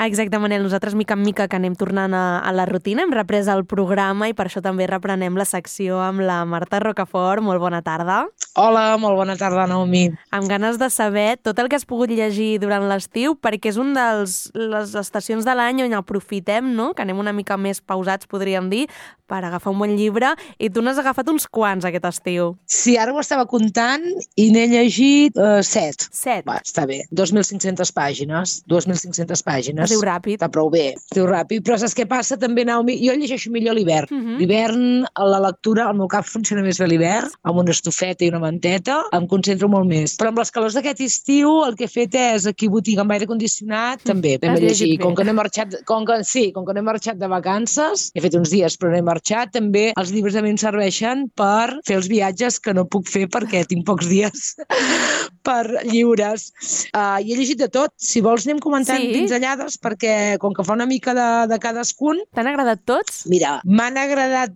Exacte, Manel. Nosaltres, mica en mica, que anem tornant a la rutina, hem reprès el programa i per això també reprenem la secció amb la Marta Rocafort. Molt bona tarda. Hola, molt bona tarda, Naomi. Amb ganes de saber tot el que has pogut llegir durant l'estiu, perquè és una de les estacions de l'any on aprofitem, no?, que anem una mica més pausats, podríem dir, per agafar un bon llibre, i tu n'has agafat uns quants aquest estiu. Sí, ara ho estava comptant i n'he llegit 7. 7? Va, està bé. 2.500 pàgines. 2.500 pàgines. Es diu ràpid. Està prou bé. Es diu ràpid. Però saps què passa també, Naomi? Jo llegeixo millor a l'hivern. L'hivern, la lectura, el meu cap funciona més bé a l'hivern, amb una estufeta i una manteta, em concentro molt més. Però amb les calors d'aquest estiu, el que he fet és, aquí botiga amb aire condicionat, també vam llegir. Com que no he marxat, com que no he marxat de vacances, he fet uns dies però no he marxat, també els llibres a mi em serveixen per fer els viatges que no puc fer perquè tinc pocs dies per lliures. I he llegit de tot. Si vols anem comentant pinzellades, perquè com que fa una mica de cadascun... T'han agradat tots? Mira, m'han agradat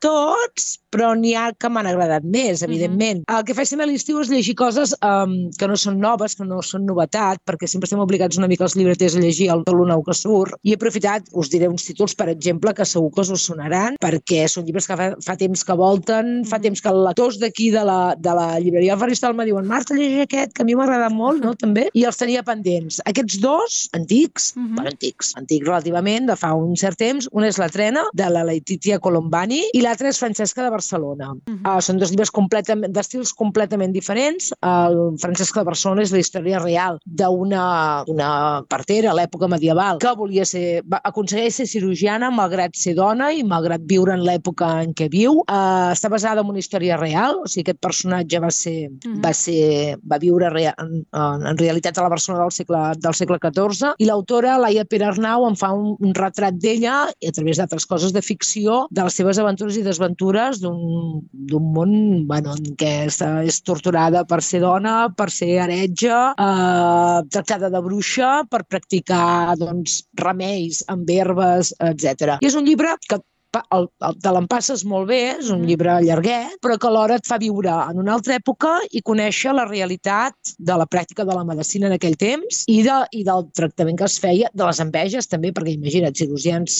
tots, però n'hi ha que m'han agradat més, evidentment. El que faig sempre a l'estiu és llegir coses que no són noves, que no són novetat, perquè sempre estem obligats una mica els llibreters a llegir el nou que surt. I he aprofitat, us diré uns títols, per exemple, que segur que us sonaran, perquè són llibres que fa temps que volten, fa temps que els lectors d'aquí de la llibreria del Faristol me diuen: Marta, llegeix aquest, que a mi m'ha agradat molt, no?, també. I els tenia pendents. Aquests dos, antics, antics relativament, de fa un cert temps. Un és La trena, de la Laetitia Colombani, i l'altre és Francesca de Barcelona. Són dos llibres d'estils completament diferents. El Francesca de Barcelona és la història real d'una partera a l'època medieval que aconsegueix ser cirurgiana malgrat ser dona i malgrat viure en l'època en què viu. Està basada en una història real, o sigui, aquest personatge va viure en realitat a la Barcelona del segle XIV, i l'autora, Laia Perarnau, en fa un retrat d'ella, i a través d'altres coses de ficció, de les seves aventures i desventures d'un món en què és torturada per ser dona, per ser heretge, tractada de bruixa, per practicar remeis amb herbes, etc. I és un llibre que te l'empasses molt bé, és un llibre llarguet, però que alhora et fa viure en una altra època i conèixer la realitat de la pràctica de la medicina en aquell temps i del tractament que es feia, de les enveges també, perquè imagina't, cirurgians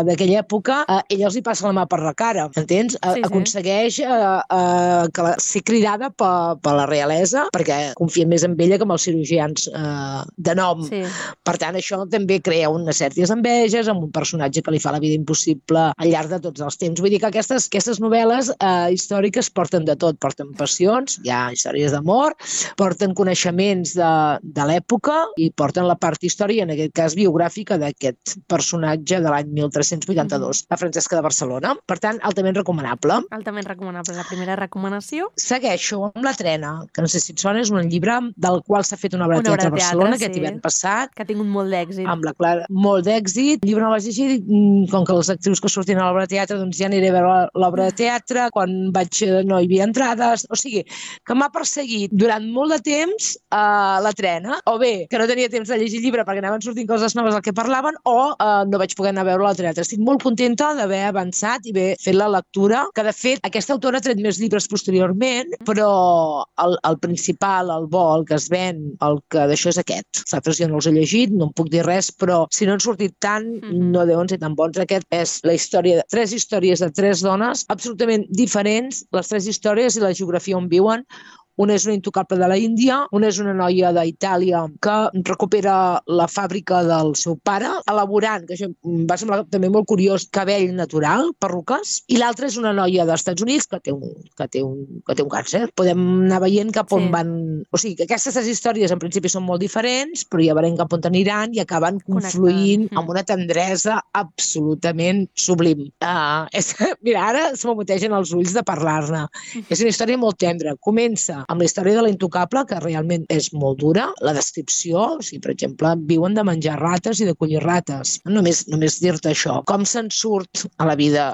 d'aquella època, ella els hi passa la mà per la cara, entens? Aconsegueix ser cridada per la realesa, perquè confia més en ella que amb els cirurgians de nom. Per tant, això també crea unes certes enveges amb un personatge que li fa la vida impossible al llarg de tots els temps. Vull dir que aquestes novel·les històriques porten de tot. Porten passions, hi ha històries d'amor, porten coneixements de l'època i porten la part històrica, en aquest cas biogràfica, d'aquest personatge de l'any 1382, la Francesca de Barcelona. Per tant, altament recomanable. Altament recomanable. La primera recomanació? Segueixo amb La trena, que no sé si et sona, és un llibre del qual s'ha fet una obra de teatre a Barcelona, aquest hivern passat. Que ha tingut molt d'èxit. Amb la Clara, molt d'èxit. El llibre no l'has llegit, com que les actrius que surten a l'obra de teatre, doncs ja aniré a veure l'obra de teatre, quan no hi havia entrades, o sigui, que m'ha perseguit durant molt de temps La trena, o bé, que no tenia temps de llegir llibre perquè anaven sortint coses noves del que parlaven, o no vaig poder anar a veure al teatre. Estic molt contenta d'haver avançat i haver fet la lectura, que de fet aquesta autora ha tret més llibres posteriorment, però el principal, el bo, el que es ven, el que d'això és aquest. Els altres jo no els he llegit, no en puc dir res, però si no han sortit tant, no deuen ser tan bons. Aquest és la història de 3 històries de 3 dones absolutament diferents, les 3 històries i la geografia on viuen. Una és una intocable de la Índia, una és una noia d'Itàlia que recupera la fàbrica del seu pare, elaborant, que això em va semblar també molt curiós, cabell natural, perruques, i l'altra és una noia dels Estats Units que té un càncer. Podem anar veient cap on van... O sigui, que aquestes 3 històries en principi són molt diferents, però ja veurem cap on aniran i acaben confluint amb una tendresa absolutament sublim. Mira, ara se m'amotegen els ulls de parlar-ne. És una història molt tendra. Comença amb la història de la intocable, que realment és molt dura, la descripció, o sigui, per exemple, viuen de menjar rates i de collir rates. Només dir-te això. Com se'n surt a la vida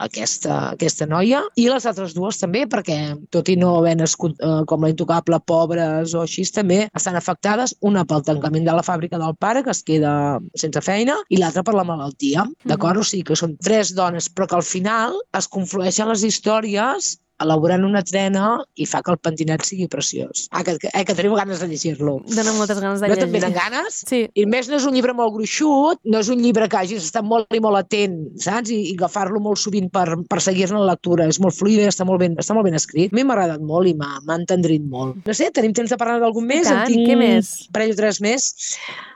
aquesta noia, i les altres dues també, perquè tot i no haver nascut com la intocable, pobres o així, també estan afectades, una pel tancament de la fàbrica del pare, que es queda sense feina, i l'altra per la malaltia. D'acord? O sigui, que són 3 dones, però que al final es conflueixen les històries elaborant una trena i fa que el pentinat sigui preciós. Que teniu ganes de llegir-lo. Donen moltes ganes de llegir. llegir. No te'n venen ganes? Sí. I més no és un llibre molt gruixut, no és un llibre que hagis estat molt i molt atent, saps? I agafar-lo molt sovint per seguir-ne la lectura. És molt fluida i està molt ben escrit. A mi m'ha agradat molt i m'ha entendrit molt. No sé, tenim temps de parlar d'algun més? tant, què més? Un parell o tres més.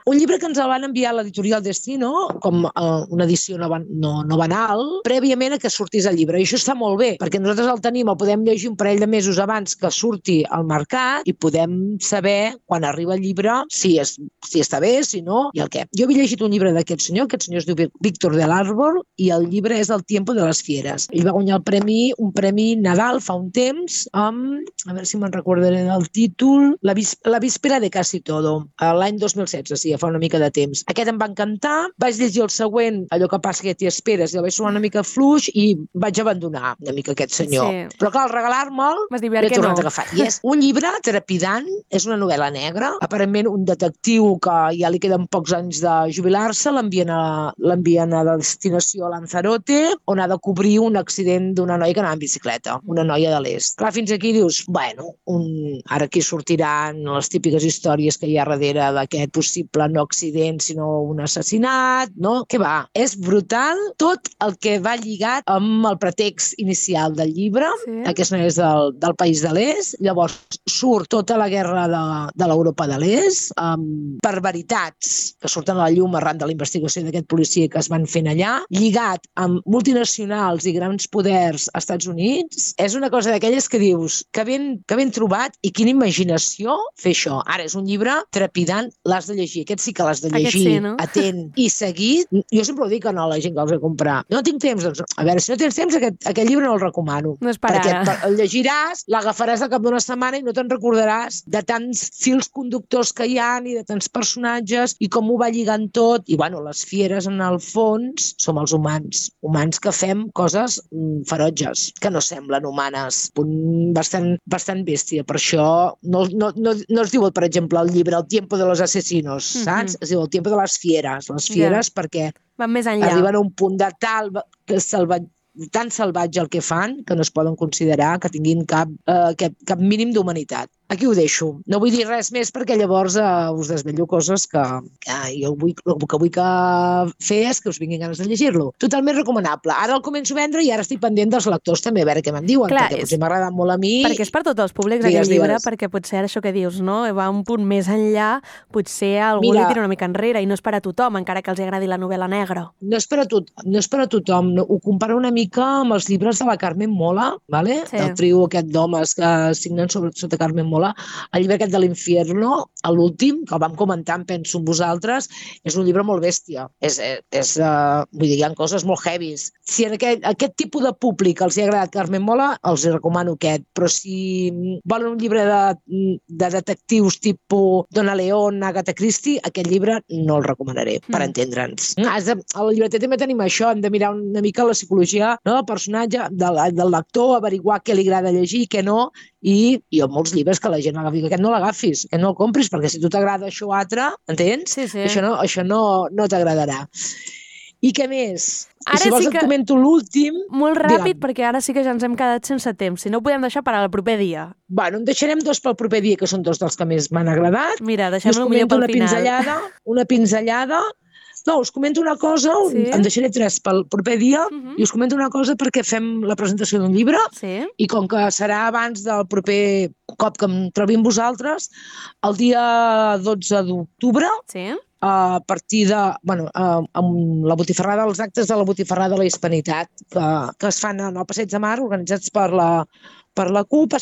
Un llibre que ens el van enviar a l'editorial Destino, com una edició no banal, prèviament a que sortís el llibre. I això està molt bé, perquè nosaltres el tenim, el podem llegir un parell de mesos abans que surti al mercat i podem saber, quan arriba el llibre, si està bé, si no, i el què. Jo havia llegit un llibre d'aquest senyor es diu Víctor del Árbol, i el llibre és El tiempo de les fieres. Ell va guanyar un premi Nadal fa un temps, amb, a veure si me'n recordaré del títol, La víspera de casi todo, l'any 2016, sí, fa una mica de temps. Aquest em va encantar, vaig llegir el següent, Allò que passa que t'hi esperes, i el vaig sonar una mica fluix i vaig abandonar una mica aquest senyor. Sí. Però clar, al regalar-me'l, l'he tornat a agafar. I és un llibre trepidant, és una novel·la negra, aparentment un detectiu que ja li queden pocs anys de jubilar-se, l'envien a la destinació a Lanzarote, on ha de cobrir un accident d'una noia que anava en bicicleta, una noia de l'est. Clar, fins aquí dius, bueno, ara aquí sortiran les típiques històries que hi ha darrere d'aquest possible no accident, sinó un assassinat, no? Què va? És brutal tot el que va lligat amb el pretext inicial del llibre. Sí. Aquest no és del país de l'est. Llavors surt tota la guerra de l'Europa de l'est, per veritats que surten a la llum arran de la investigació d'aquest policia que es van fent allà, lligat amb multinacionals i grans poders als Estats Units. És una cosa d'aquelles que dius que ben trobat i quina imaginació fer això. Ara, és un llibre trepidant, l'has de llegir. Aquest sí que l'has de llegir, sí, no? Atent i seguit. Jo sempre ho dic a la gent que els he comprat. No tinc temps, doncs, a veure, si no tens temps, aquest llibre no el recomano. No és per ara. Perquè el llegiràs, l'agafaràs al cap d'una setmana i no te'n recordaràs de tants fils conductors que hi ha i de tants personatges i com ho va lligant tot. I, bueno, les fieres, en el fons, som els humans que fem coses ferotges, que no semblen humanes. Bastant bèstia. Per això no es diu, per exemple, el llibre El tiempo de los asesinos, saps? Es diu El tiempo de les fieres. Les fieres perquè van més enllà. Arriben a un punt de tan salvatge el que fan que no es poden considerar que tinguin cap mínim d'humanitat. Aquí ho deixo. No vull dir res més perquè llavors us desvello coses que jo el que vull fer és que us vinguin ganes de llegir-lo. Totalment recomanable. Ara el començo a vendre i ara estic pendent dels lectors també, a veure què me'n diuen, perquè potser m'ha agradat molt a mi. Perquè és per tots els públics aquest llibre, perquè potser ara això que dius, no? Va un punt més enllà, potser algú li tira una mica enrere i no és per a tothom, encara que els agradi la novel·la negra. No és per a tothom. Ho comparo una mica amb els llibres de la Carmen Mola, ¿vale? Sí. El trio aquest d'homes que signen sota Carmen Mola. El llibre aquest de l'Infierno, l'últim, que el vam comentar, em penso amb vosaltres, és un llibre molt bèstia. Vull dir, hi ha coses molt heavies. Si en aquest tipus de públic els hi ha agradat Carmen Mola, els recomano aquest. Però si volen un llibre de detectius tipus Donna León, Agatha Christie, aquest llibre no el recomanaré, per entendre'ns. Al llibreter també tenim això, hem de mirar una mica la psicologia del personatge, del lector, averiguar què li agrada llegir, què no, i hi ha molts llibres que la gent agafi, aquest no l'agafis, aquest no el compris, perquè si tu t'agrada això o altre, entens? Sí, sí. Això no t'agradarà. I què més? Ara si vols sí que... et comento l'últim... Molt ràpid, perquè ara sí que ja ens hem quedat sense temps. Si no, ho podem deixar per al proper dia. Bueno, en deixarem dos pel proper dia, que són dos dels que més m'han agradat. Mira, deixem-lo millor pel final. Una pinzellada. No, us comento una cosa, en deixaré tres pel proper dia, i us comento una cosa perquè fem la presentació d'un llibre, i com que serà abans del proper cop que em trobi amb vosaltres, el dia 12 d'octubre, a partir de, amb la botifarrada, els actes de la botifarrada de la Hispanitat, que es fan en el Passeig de Mar, organitzats per la CUP,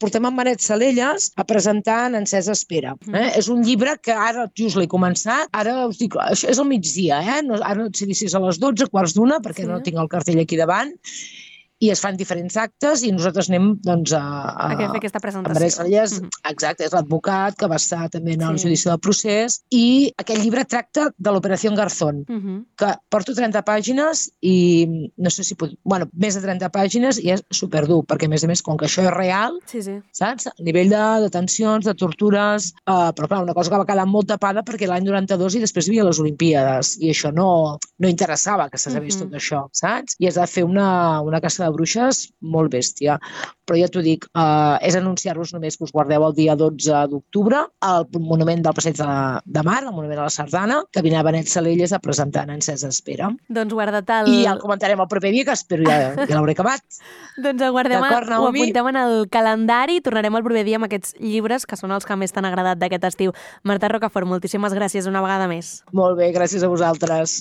portem en Manet Salelles a presentar en Encesa Espera. És un llibre que ara just l'he començat, ara us dic, això és al migdia, ara no et sé dir si és a les 12, quarts d'una, perquè no tinc el cartell aquí davant, i es fan diferents actes i nosaltres anem doncs, a fer aquesta presentació. Manet Salelles, exacte, és l'advocat que va estar també en el judici del procés, i aquest llibre tracta de l'Operació Garzón, que porto 30 pàgines i no sé si més de 30 pàgines, i és superdur, perquè a més, com que això és real, saps? A nivell de detencions, de tortures, però clar, una cosa que va quedar molt tapada perquè l'any 92 i després hi havia les Olimpíades, i això no interessava que se sabés tot això, saps? I es va fer una caça de de bruixes molt bèstia. Però ja t'ho dic, és anunciar-vos només que us guardeu el dia 12 d'octubre al Monument del Passeig de Mar, al Monument a la Sardana, que vindrà Benet Salelles a presentar en Encesa Espera. Doncs guarda't el... I ja el comentarem el proper dia, que espero ja l'hauré acabat. Doncs ho apuntem en el calendari i tornarem el proper dia amb aquests llibres que són els que més t'han agradat d'aquest estiu. Marta Rocafort, moltíssimes gràcies una vegada més. Molt bé, gràcies a vosaltres.